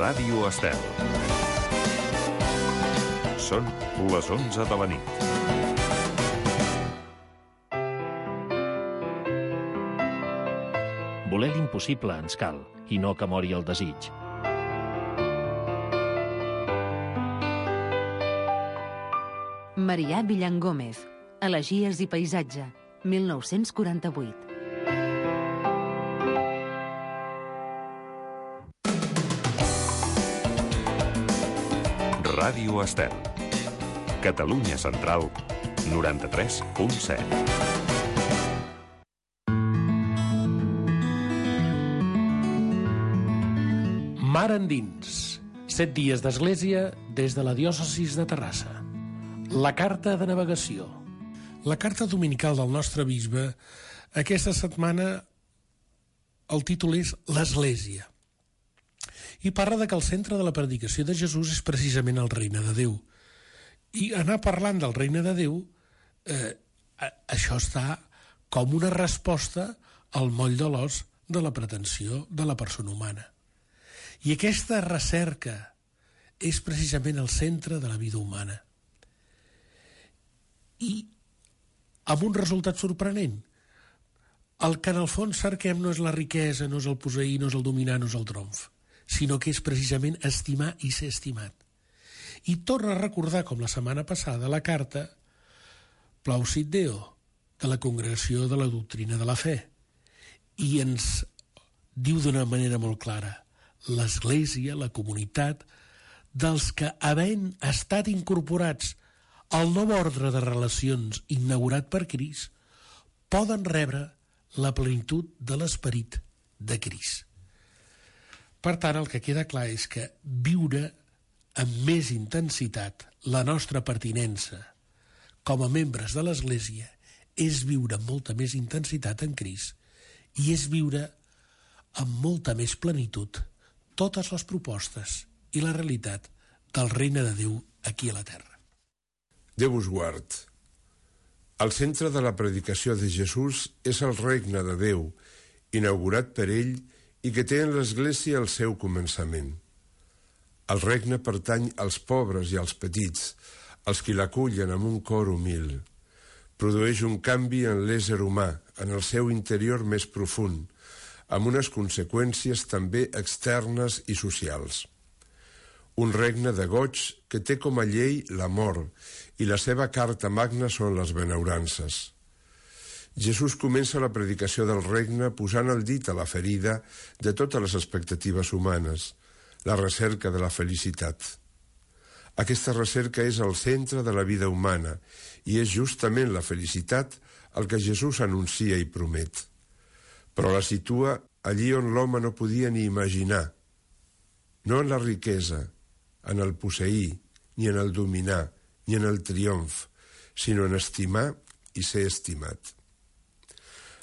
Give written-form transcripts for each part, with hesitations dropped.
Ràdio Estel. Són les 11 de la nit. Voler l'impossible ens cal, i no que mori el desig. Marià Villan Gómez, Elegies i paisatge, 1948. Ràdio Estel. Catalunya Central, 93.7. Mar endins. 7 dies d'església des de la diòcesis de Terrassa. La carta de navegació. La carta dominical del nostre bisbe aquesta setmana el títol és l'Església. I parla de que el centre de la predicació de Jesús és precisament el regne de Déu. I anar parlant del regne de Déu, això està com una resposta al moll de l'os de la pretensió de la persona humana. I aquesta recerca és precisament el centre de la vida humana. I amb un resultat sorprenent. El que en el fons cerquem no és la riquesa, no és el posseir, no és el dominar, no és el triomf, sinó que és precisament estimar i ser estimat. I torna a recordar, com la setmana passada, la carta Plausit Deo, de la Congregació de la Doctrina de la Fe. I ens diu d'una manera molt clara: l'Església, la comunitat, dels que, havent estat incorporats al nou ordre de relacions inaugurat per Crist, poden rebre la plenitud de l'esperit de Crist. Per tant, el que queda clar és que viure amb més intensitat la nostra pertinença com a membres de l'Església és viure amb molta més intensitat en Crist i és viure amb molta més plenitud totes les propostes i la realitat del regne de Déu aquí a la terra. Déu us guard. El centre de la predicació de Jesús és el regne de Déu, inaugurat per ell i que té en l'Església el seu començament. El regne pertany als pobres i als petits, als qui l'acullen amb un cor humil. Produeix un canvi en l'ésser humà, en el seu interior més profund, amb unes conseqüències també externes i socials. Un regne de goig que té com a llei l'amor i la seva carta magna són les benaurances. Jesús comença la predicació del regne posant el dit a la ferida de totes les expectatives humanes, la recerca de la felicitat. Aquesta recerca és el centre de la vida humana i és justament la felicitat el que Jesús anuncia i promet. Però la situa allí on l'home no podia ni imaginar, no en la riquesa, en el posseir, ni en el dominar, ni en el triomf, sinó en estimar i ser estimat.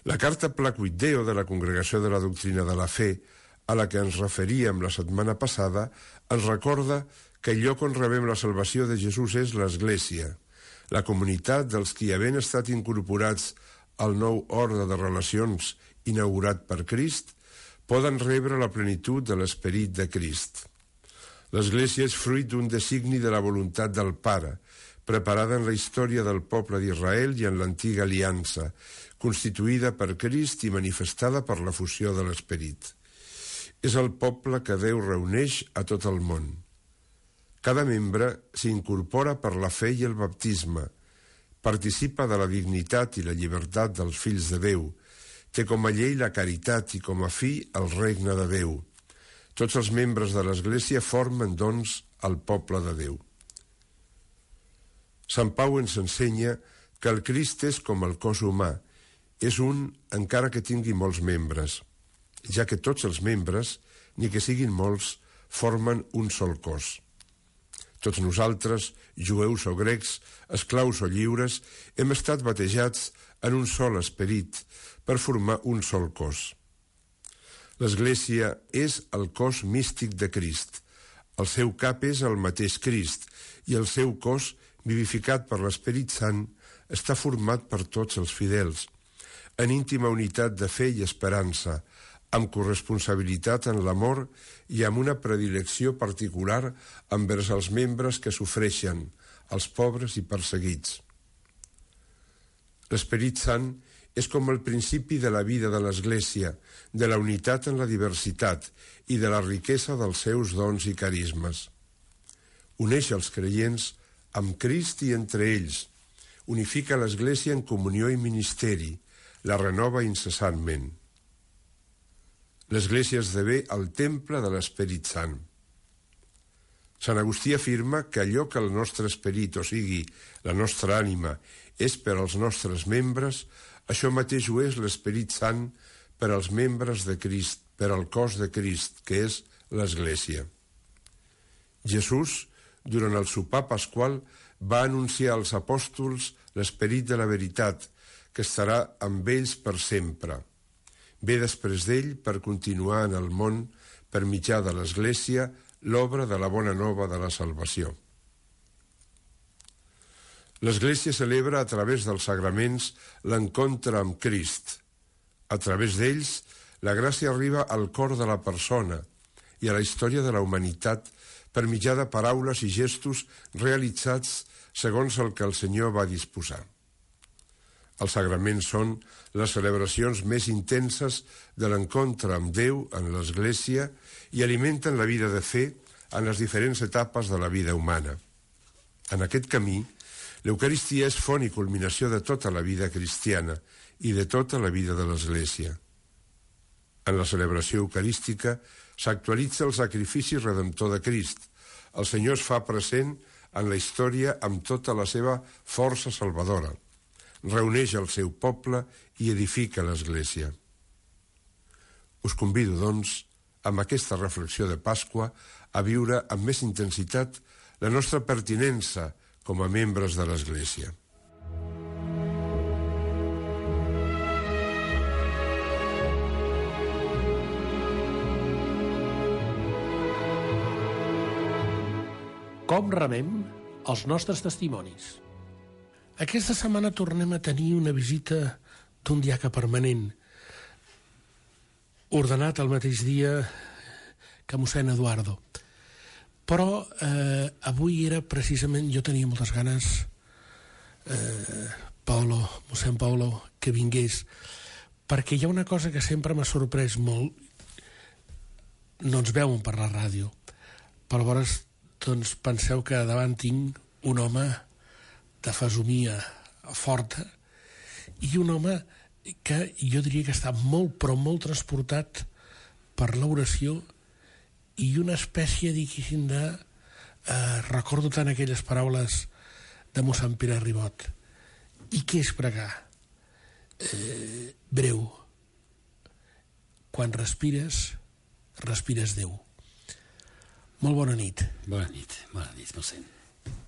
La carta Plausit Deo de la Congregació de la Doctrina de la Fe, a la que ens referíem la setmana passada, ens recorda que el lloc on rebem la salvació de Jesús és l'Església, la comunitat dels qui, havent estat incorporats al nou ordre de relacions inaugurat per Crist, poden rebre la plenitud de l'esperit de Crist. L'Església és fruit d'un designi de la voluntat del Pare, preparada en la història del poble d'Israel i en l'antiga aliança, constituïda per Crist i manifestada per la fusió de l'Esperit. És el poble que Déu reuneix a tot el món. Cada membre s'incorpora per la fe i el baptisme, participa de la dignitat i la llibertat dels fills de Déu, té com a llei la caritat i com a fi el regne de Déu. Tots els membres de l'Església formen, doncs, el poble de Déu. Sant Pau ens ensenya que el Crist és com el cos humà, és un encara que tingui molts membres, ja que tots els membres, ni que siguin molts, formen un sol cos. Tots nosaltres, jueus o grecs, esclaus o lliures, hem estat batejats en un sol esperit per formar un sol cos. L'Església és el cos místic de Crist. El seu cap és el mateix Crist i el seu cos, vivificat per l'Esperit Sant, està format per tots els fidels, en íntima unitat de fe i esperança, amb corresponsabilitat en l'amor i amb una predilecció particular envers els membres que sofreixen, els pobres i perseguits. L'Esperit Sant és com el principi de la vida de l'Església, de la unitat en la diversitat i de la riquesa dels seus dons i carismes. Uneix els creients amb Crist i entre ells, unifica l'Església en comunió i ministeri, la renova incessantment. L'Església esdevé el temple de l'Esperit Sant. Sant Agustí afirma que allò que el nostre esperit, o sigui, la nostra ànima, és per als nostres membres, això mateix ho és l'Esperit Sant per als membres de Crist, per al cos de Crist, que és l'Església. Jesús, durant el sopar pasqual, va anunciar als apòstols l'esperit de la veritat, que estarà amb ells per sempre. Ve després d'ell per continuar en el món, per mitjà de l'Església, l'obra de la bona nova de la salvació. L'Església celebra a través dels sagraments l'encontre amb Crist. A través d'ells, la gràcia arriba al cor de la persona i a la història de la humanitat per mitjà de paraules i gestos realitzats segons el que el Senyor va disposar. Els sagraments són les celebracions més intenses de l'encontre amb Déu en l'Església i alimenten la vida de fe en les diferents etapes de la vida humana. En aquest camí, l'Eucaristia és font i culminació de tota la vida cristiana i de tota la vida de l'Església. En la celebració eucarística s'actualitza el sacrifici redemptor de Crist. El Senyor es fa present en la història amb tota la seva força salvadora. Reuneix el seu poble i edifica l'Església. Us convido, doncs, amb aquesta reflexió de Pasqua, a viure amb més intensitat la nostra pertinença com a membres de l'Església. Com remem els nostres testimonis? Aquesta setmana tornem a tenir una visita d'un diaca permanent, ordenat el mateix dia que mossèn Eduardo. Però avui era precisament, jo tenia moltes ganes, mossèn Paulo, que vingués, perquè hi ha una cosa que sempre m'ha sorprès molt. No ens veuen per la ràdio, però llavors doncs penseu que davant tinc un home de fesomia forta i un home que jo diria que està molt, però molt transportat per l'oració i una espècie, diguéssim, de... recordo tant aquelles paraules de mossèn Pere Ribot. I què és pregar? Breu. Quan respires, respires Déu. Molt bona nit. Bona nit, mossèn.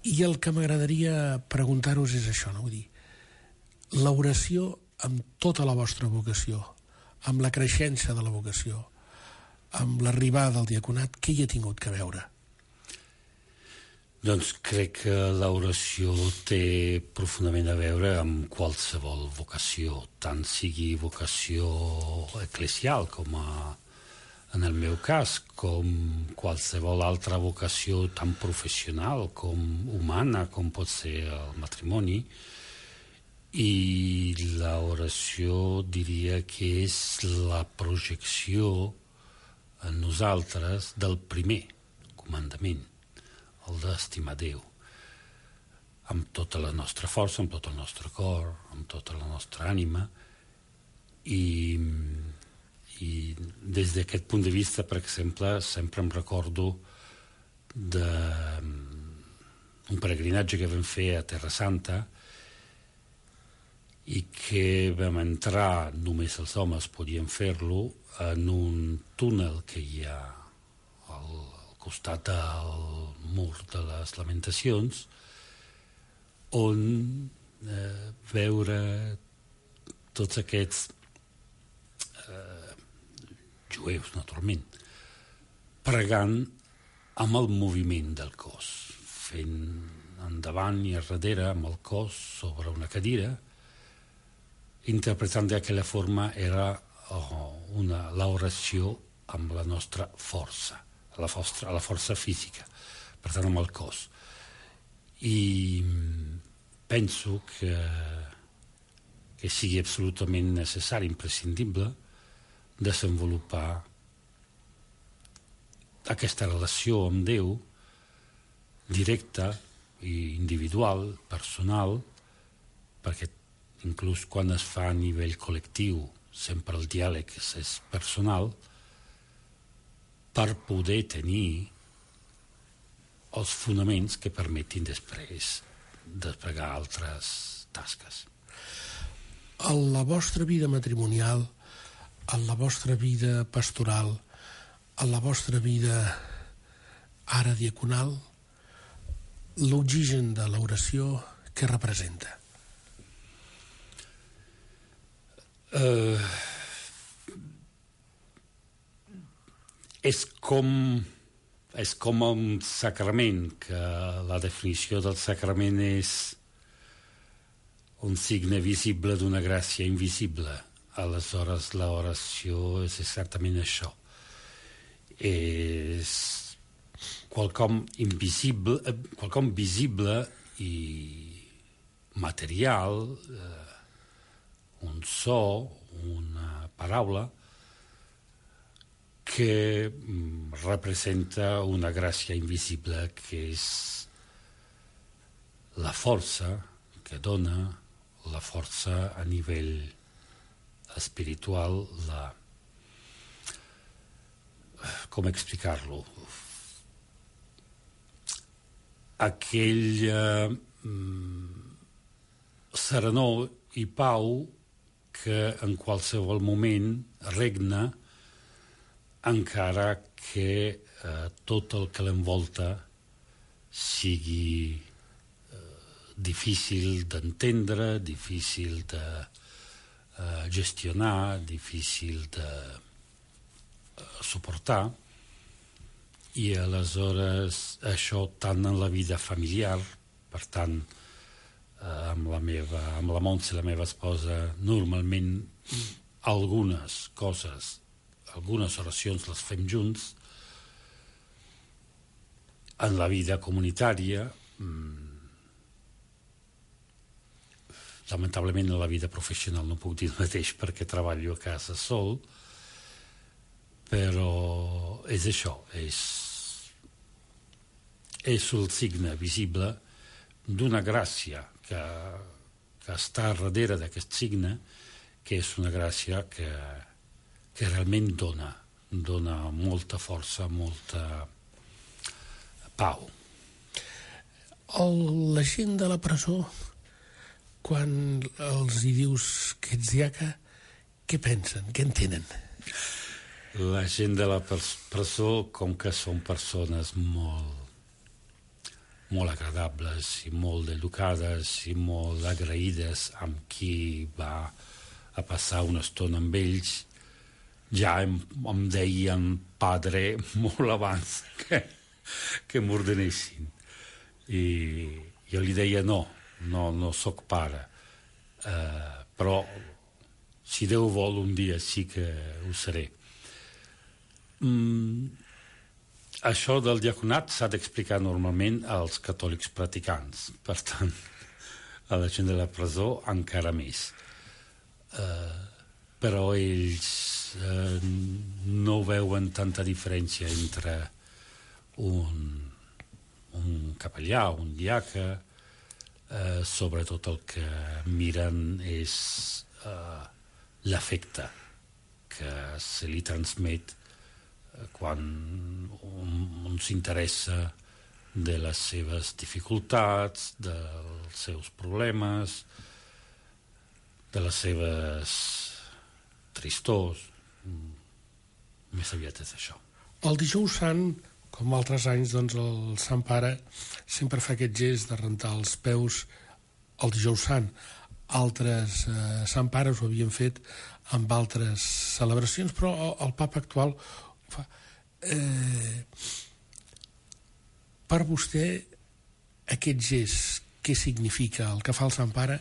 I el que m'agradaria preguntar-vos és això, no? Vull dir, l'oració amb tota la vostra vocació, amb la creixença de la vocació, amb l'arribada del diaconat, què hi ha tingut que veure? Doncs crec que l'oració té profundament a veure amb qualsevol vocació, tant sigui vocació eclesial com en el meu cas, com qualsevol altra vocació tan professional com humana, com pot ser el matrimoni. I l'oració diria que és la projecció en nosaltres del primer comandament, el d'estimar Déu, amb tota la nostra força, amb tot el nostre cor, amb tota la nostra ànima, i des d'aquest punt de vista, per exemple, sempre em recordo d'un peregrinatge que vam fer a Terra Santa i que vam entrar, només els homes podien fer-lo, en un túnel que hi ha al costat del mur de les Lamentacions, on veure tots aquests jueus, naturalment, pregant amb el moviment del cos, fent endavant i darrere amb el cos sobre una cadira, interpretant d'aquella forma era l'oració amb la nostra força, la força física, per tant amb el cos. I penso que sigui absolutament necessari, imprescindible, desenvolupar aquesta relació amb Déu directa i individual, personal, perquè inclús quan es fa a nivell col·lectiu, sempre el diàleg és personal, per poder tenir els fonaments que permetin després desplegar altres tasques. En la vostra vida matrimonial, en la vostra vida pastoral, en la vostra vida ara diaconal, l'oxigen de l'oració, què representa? És com un sacrament, que la definició del sacrament és un signe visible d'una gràcia invisible. Aleshores, l'oració és exactament això. És quelcom invisible, quelcom visible i material, un so, una paraula, que representa una gràcia invisible, que és la força que dona, la força a nivell espiritual, com explicar-lo? Aquell serenor i pau que en qualsevol moment regna, encara que tot el que l'envolta sigui difícil d'entendre, difícil de gestionar, difícil de suportar. I aleshores això tant en la vida familiar, per tant, amb la Montse, la meva esposa, normalment algunes coses, algunes oracions les fem junts. En la vida comunitària, lamentablement en la vida professional no puc dir el mateix perquè treballo a casa sol, però és això, és el signe visible d'una gràcia que està darrere d'aquest signe, que és una gràcia que realment dona molta força, molta pau. La gent de la presó, quan els hi dius que ets diaca, què pensen, què entenen? La gent de la presó, com que són persones molt agradables i molt educades i molt agraïdes amb qui va a passar una estona amb ells, ja em deien padre molt abans que m'ordenessin. I jo li deia no soc pare, però si Déu vol un dia sí que ho seré. Això del diaconat s'ha d'explicar normalment als catòlics practicants, per tant, a la gent de la presó encara més. Però ells no veuen tanta diferència entre un capellà, un diaca, sobretot el que miren és l'afecte que se li transmet quan un s'interessa de les seves dificultats, dels seus problemes, de les seves tristors. Més aviat és això. El dijous sant, com altres anys, doncs el Sant Pare sempre fa aquest gest de rentar els peus el dijous sant. Altres Sant Pares ho havien fet amb altres celebracions, però el papa actual ho fa. Per vostè, aquest gest, què significa el que fa el Sant Pare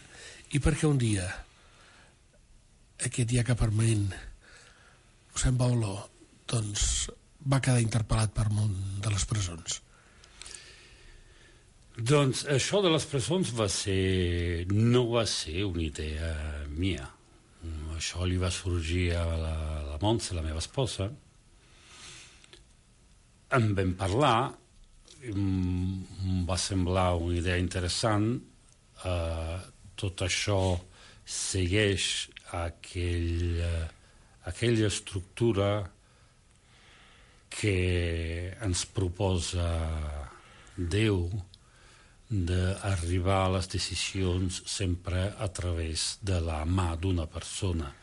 i per què un dia aquest diaca permanent Mossèn Bauló, doncs, va quedar interpel·lat per món de les presons? Doncs això de les presons no va ser una idea mia. Això li va sorgir a la Montse, la meva esposa. En vam parlar, em va semblar una idea interessant. Tot això segueix aquella estructura que ens proposa Déu d'arribar a les decisions sempre a través de la mà d'una persona.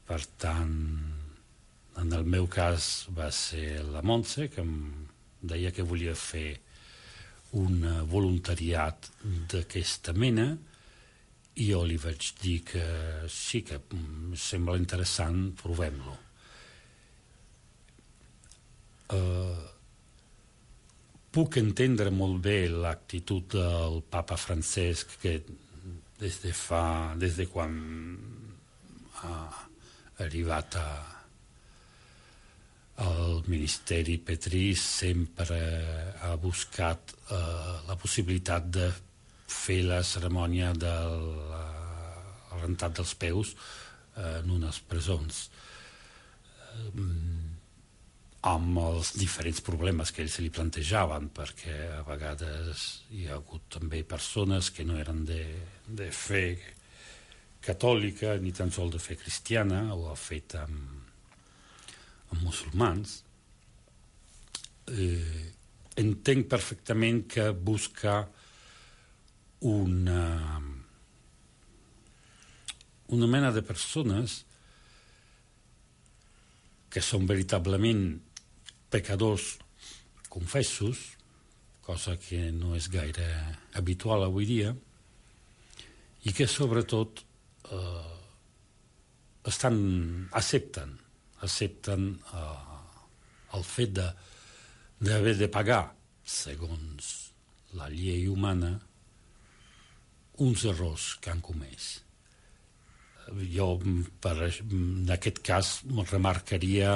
Per tant, en el meu cas va ser la Montse, que em deia que volia fer un voluntariat d'aquesta mena, i jo li vaig dir que sí, que sembla interessant, provem-lo. Puc entendre molt bé l'actitud del papa Francesc, que des de quan ha arribat al ministeri Petri sempre ha buscat la possibilitat de fer la cerimònia de la rentat dels peus en unes presons, amb els diferents problemes que ells se li plantejaven, perquè a vegades hi ha hagut també persones que no eren de fe catòlica ni tan sols de fe cristiana, ho ha fet amb musulmans. Entenc perfectament que busca una mena de persones que són veritablement pecadors confessos, cosa que no és gaire habitual avui dia, i que sobretot accepten el fet d'haver de pagar, segons la llei humana, uns errors que han comès. Jo, en aquest cas, remarcaria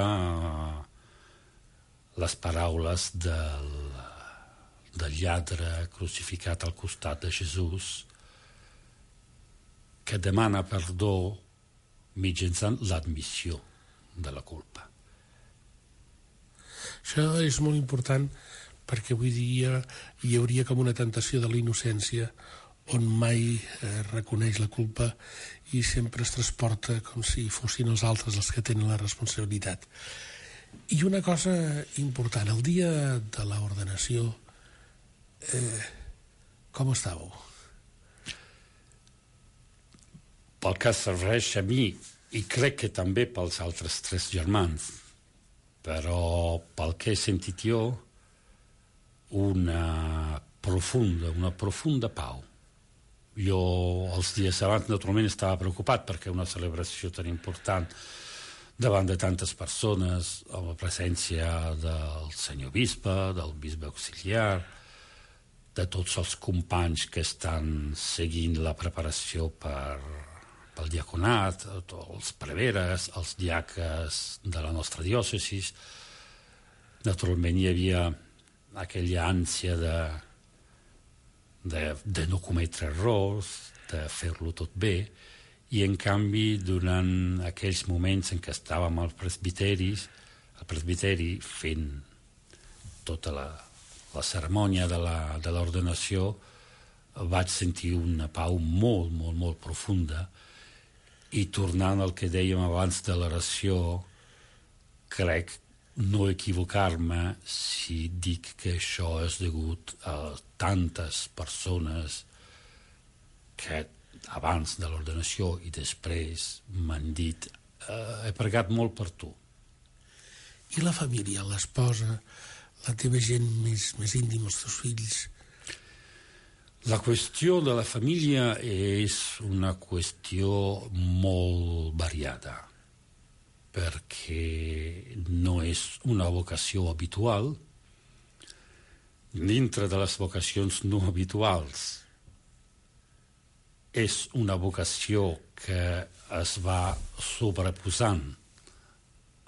les paraules del lladre crucificat al costat de Jesús, que demana perdó mitjançant l'admissió de la culpa. Això és molt important, perquè avui dia hi hauria com una tentació de la innocència, on mai reconeix la culpa i sempre es transporta com si fossin els altres els que tenen la responsabilitat. I una cosa important, el dia de l'ordenació, com estàveu? Pel que serveix a mi, i crec que també pels altres 3 germans, però pel que he sentit jo, una profunda pau. Jo els dies abans naturalment estava preocupat perquè una celebració tan important davant de tantes persones, amb la presència del senyor bisbe, del bisbe auxiliar, de tots els companys que estan seguint la preparació pel diaconat, els preveres, els diaques de la nostra diòcesi. Naturalment hi havia aquella ànsia de no cometre errors, de fer-lo tot bé, i en canvi durant aquells moments en què estàvem al presbiteri fent tota la cerimònia de l'ordenació, vaig sentir una pau molt, molt, molt profunda, i tornant al que dèiem abans de l'oració, crec no equivocar-me si dic que això és degut a tantes persones que abans de l'ordenació i després m'han dit he pregat molt per tu. I la família, l'esposa, la teva gent més íntima, els teus fills? La qüestió de la família és una qüestió molt variada, perquè no és una vocació habitual. Dintre de les vocacions no habituals és una vocació que es va sobreposant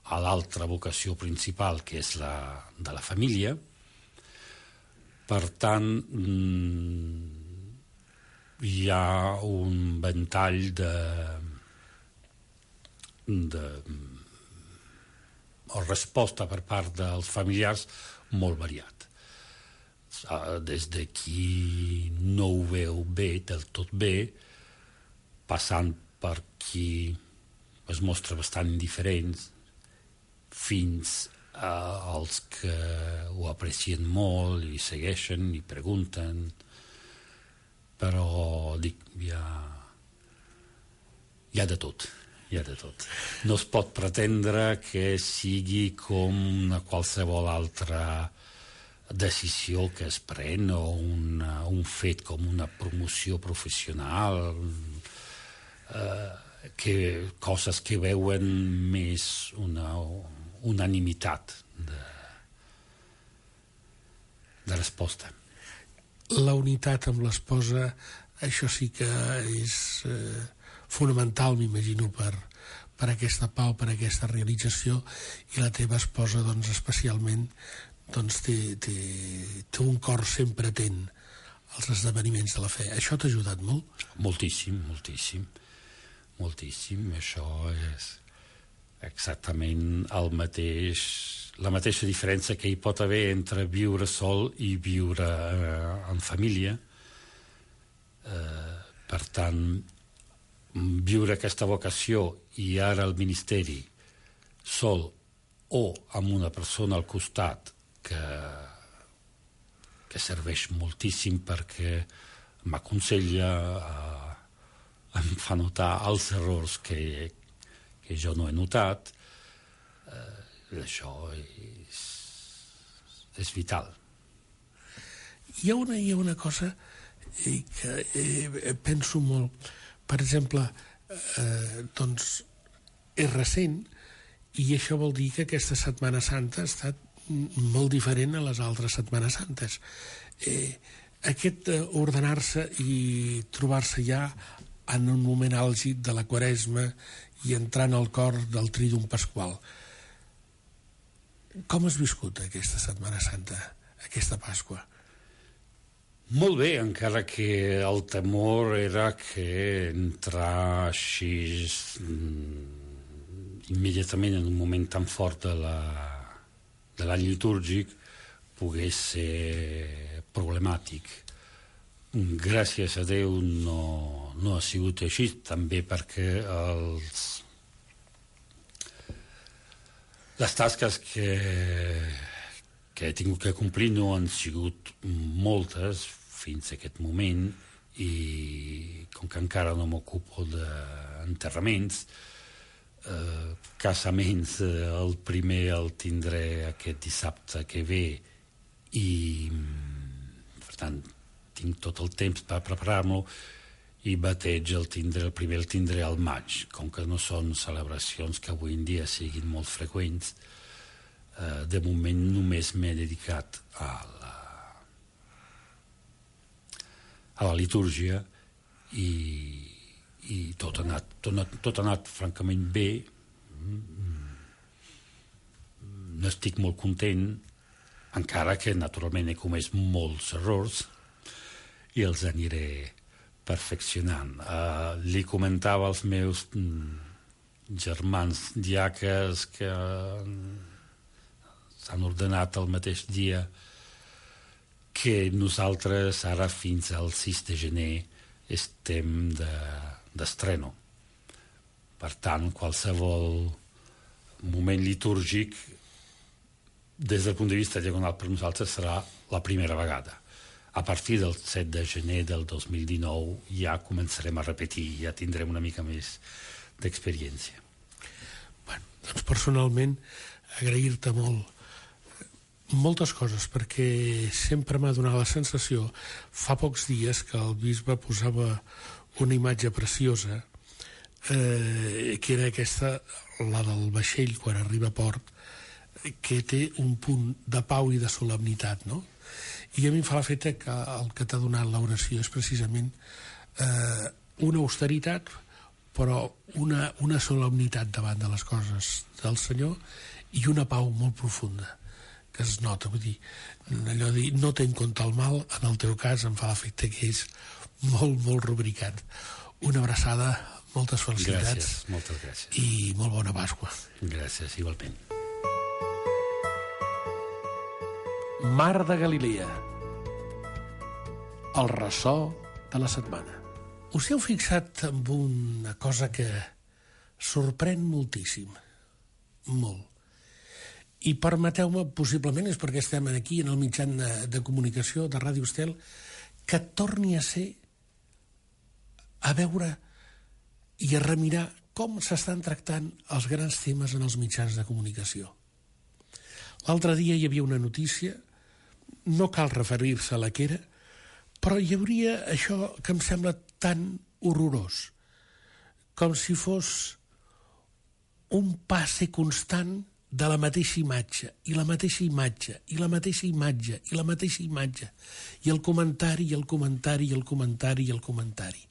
a l'altra vocació principal, que és la de la família. Per tant, hi ha un ventall de resposta per part dels familiars molt variat. Des de qui no ho veu bé, del tot bé, passant per qui es mostra bastant indiferents, fins als que ho aprecien molt i segueixen i pregunten, però dic, hi ha de tot. No es pot pretendre que sigui com una qualsevol altra decisió que es pren o un fet com una promoció professional, coses que veuen més una unanimitat de resposta. La unitat amb l'esposa, això sí que és fonamental, m'imagino, per aquesta pau, per aquesta realització, i la teva esposa, doncs, especialment, doncs, té un cor sempre atent als esdeveniments de la fe. Això t'ha ajudat molt? Moltíssim. Això és exactament la mateixa diferència que hi pot haver entre viure sol i viure en família. Per tant, viure aquesta vocació i ara el ministeri sol o amb una persona al costat que serveix moltíssim perquè m'aconsella, em fa notar els errors que jo no he notat, això és vital. Hi ha una cosa que penso molt. Per exemple, doncs és recent, i això vol dir que aquesta Setmana Santa ha estat molt diferent a les altres Setmanes Santes. Aquest ordenar-se i trobar-se ja en un moment àlgid de la Quaresma i entrant al cor del Trídum Pasqual. Com has viscut aquesta Setmana Santa, aquesta Pasqua? Molt bé, encara que el temor era que entrar així immediatament en un moment tan fort de l'any litúrgic pogués ser problemàtic. Gràcies a Déu no ha sigut així, també perquè les tasques que he tingut que complir no han sigut moltes fins a aquest moment, i com que encara no m'ocupo d'enterraments, casaments, el primer el tindré aquest dissabte que ve, i per tant tinc tot el temps per preparar-lo, i bateig el primer el tindré al maig. Com que no són celebracions que avui en dia siguin molt freqüents, de moment només m'he dedicat a la litúrgia, i tot ha anat francament bé. N'estic molt content, encara que naturalment he comès molts errors i els aniré perfeccionant. Li comentava als meus germans diaques que s'han ordenat el mateix dia que nosaltres ara fins al 6 de gener estem d'estreno. Per tant, qualsevol moment litúrgic des del punt de vista diagonal per nosaltres serà la primera vegada. A partir del 7 de gener del 2019 ja començarem a repetir, ja tindrem una mica més d'experiència. Bueno, doncs personalment agrair-te moltes coses, perquè sempre m'ha donat la sensació, fa pocs dies, que el bisbe posava una imatge preciosa, que era aquesta, la del vaixell quan arriba a port, que té un punt de pau i de solemnitat, no? I a mi em fa l'efecte que el que t'ha donat l'oració és precisament una austeritat, però una solemnitat davant de les coses del Senyor i una pau molt profunda que es nota, vull dir, allò de dir, no té en compte el mal, en el teu cas em fa l'efecte que és molt, molt rubricat. Una abraçada, moltes felicitats. Gràcies, moltes gràcies. I molt bona Pasqua. Gràcies, igualment. Mar de Galilea. El ressò de la setmana. Us heu fixat en una cosa que sorprèn moltíssim. Molt. I permeteu-me, possiblement és perquè estem aquí en el mitjan de comunicació de Ràdio Estel, que torni a ser a veure i a remirar com s'estan tractant els grans temes en els mitjans de comunicació. L'altre dia hi havia una notícia, no cal referir-se a la que era, però hi hauria això que em sembla tan horrorós, com si fos un passe constant de la mateixa imatge, i la mateixa imatge, i la mateixa imatge, i la mateixa imatge, i el comentari, i el comentari, i el comentari, i el comentari.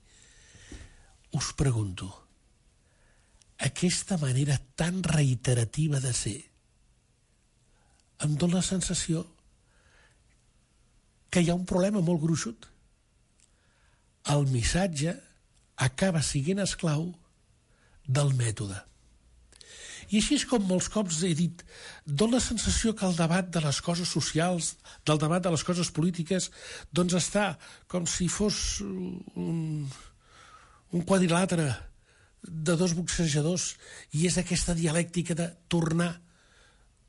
Us pregunto, aquesta manera tan reiterativa de ser em dóna la sensació que hi ha un problema molt gruixut. El missatge acaba sent esclau del mètode. I així és com molts cops he dit, dóna la sensació que el debat de les coses socials, del debat de les coses polítiques, doncs està com si fos un quadrilàtere de dos boxejadors, i és aquesta dialèctica de tornar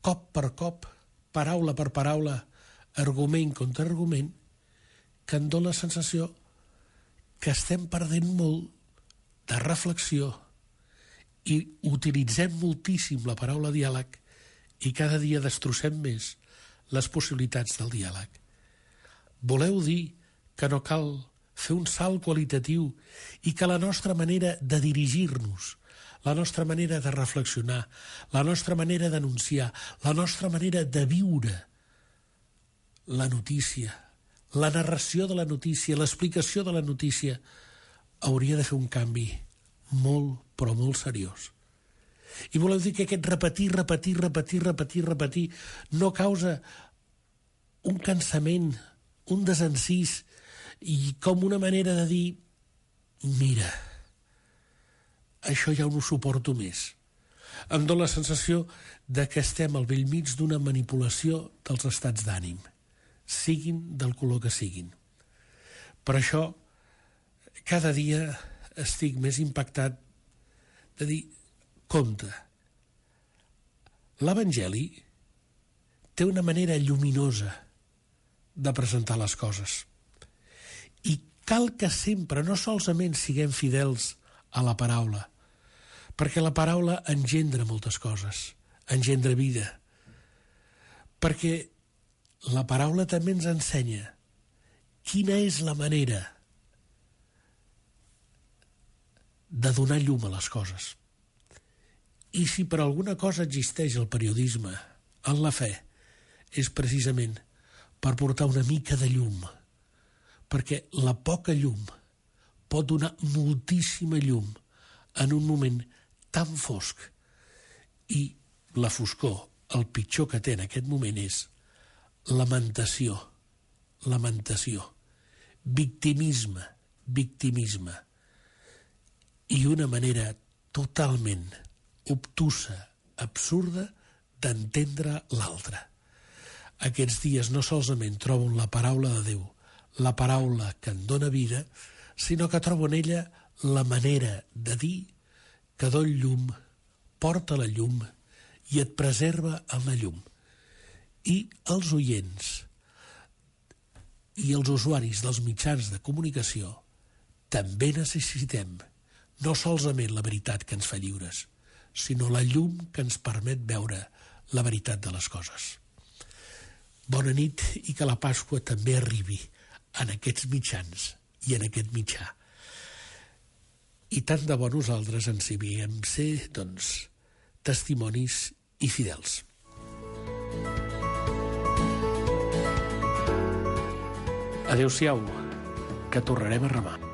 cop per cop, paraula per paraula, argument contra argument, que em dóna la sensació que estem perdent molt de reflexió i utilitzem moltíssim la paraula diàleg i cada dia destrossem més les possibilitats del diàleg. Voleu dir que no cal fer un salt qualitatiu i que la nostra manera de dirigir-nos, la nostra manera de reflexionar, la nostra manera d'anunciar, la nostra manera de viure la notícia, la narració de la notícia, l'explicació de la notícia, hauria de fer un canvi molt, però molt seriós. I voleu dir que aquest repetir no causa un cansament, un desencís i com una manera de dir mira, això ja no ho suporto més. Em dóna la sensació de que estem al bell mig d'una manipulació dels estats d'ànim, siguin del color que siguin. Per això, cada dia estic més impactat de dir, compte, l'Evangeli té una manera lluminosa de presentar les coses. I cal que sempre, no solament siguem fidels a la paraula, perquè la paraula engendra moltes coses, engendra vida, perquè la paraula també ens ensenya quina és la manera de donar llum a les coses. I si per alguna cosa existeix el periodisme en la fe, és precisament per portar una mica de llum, perquè la poca llum pot donar moltíssima llum en un moment tan fosc. I la foscor, el pitjor que té en aquest moment és lamentació, victimisme, i una manera totalment obtusa, absurda, d'entendre l'altre. Aquests dies no solament trobo en la paraula de Déu, la paraula que en dóna vida, sinó que trobo en ella la manera de dir que dol llum, porta la llum i et preserva en la llum. I els oients i els usuaris dels mitjans de comunicació també necessitem no solament la veritat que ens fa lliures, sinó la llum que ens permet veure la veritat de les coses. Bona nit i que la Pasqua també arribi en aquests mitjans i en aquest mitjà. I tant de bo nosaltres ens hi vam ser, doncs, testimonis i fidels. Adéu-siau, que tornarem a remar.